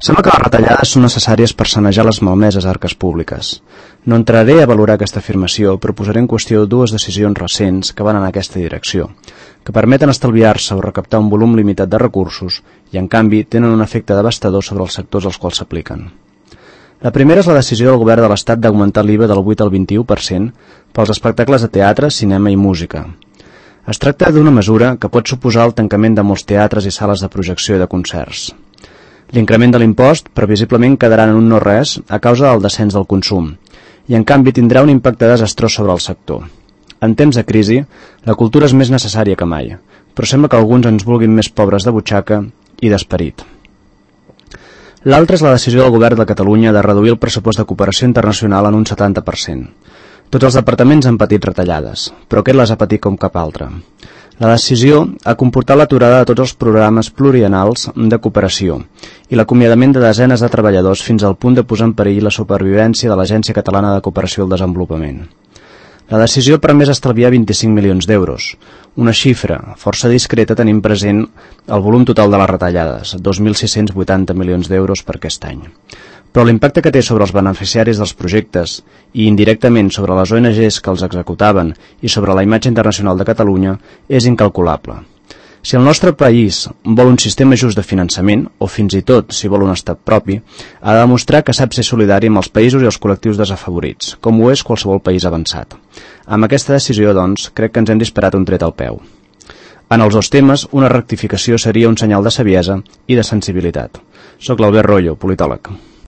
Sembla que les retallades són necessàries per sanejar les malmeses arques públiques. No entraré a valorar aquesta afirmació, però posaré en qüestió dues decisions recents que van en aquesta direcció, que permeten estalviar-se o recaptar un volum limitat de recursos i, en canvi, tenen un efecte devastador sobre els sectors als quals s'apliquen. La primera és la decisió del govern de l'Estat d'augmentar l'IVA del 8 al 21% pels espectacles de teatre, cinema i música. Es tracta d'una mesura que pot suposar el tancament de molts teatres i sales de projecció i de concerts. L'increment de l'impost previsiblement quedarà en un no res a causa del descens del consum i, en canvi, tindrà un impacte desastrós sobre el sector. En temps de crisi, la cultura és més necessària que mai, però sembla que alguns ens vulguin més pobres de butxaca i d'esperit. L'altra és la decisió del govern de Catalunya de reduir el pressupost de cooperació internacional en un 70%. Tots els departaments han patit retallades, però aquest les ha patit com cap altre. La decisió ha comportat l'aturada de tots els programes pluriennals de cooperació i l'acomiadament de desenes de treballadors fins al punt de posar en perill la supervivència de l'Agència Catalana de Cooperació al Desenvolupament. La decisió ha permès estalviar 25 milions d'euros, una xifra força discreta tenint present el volum total de les retallades, 2.680 milions d'euros per aquest any. Però l'impacte que té sobre els beneficiaris dels projectes i indirectament sobre les ONGs que els executaven i sobre la imatge internacional de Catalunya és incalculable. Si el nostre país vol un sistema just de finançament, o fins i tot si vol un estat propi, ha de demostrar que sap ser solidari amb els països i els col·lectius desafavorits, com ho és qualsevol país avançat. Amb aquesta decisió, doncs, crec que ens hem disparat un tret al peu. En els dos temes, una rectificació seria un senyal de saviesa i de sensibilitat. Soc l'Albert Royo, politòleg.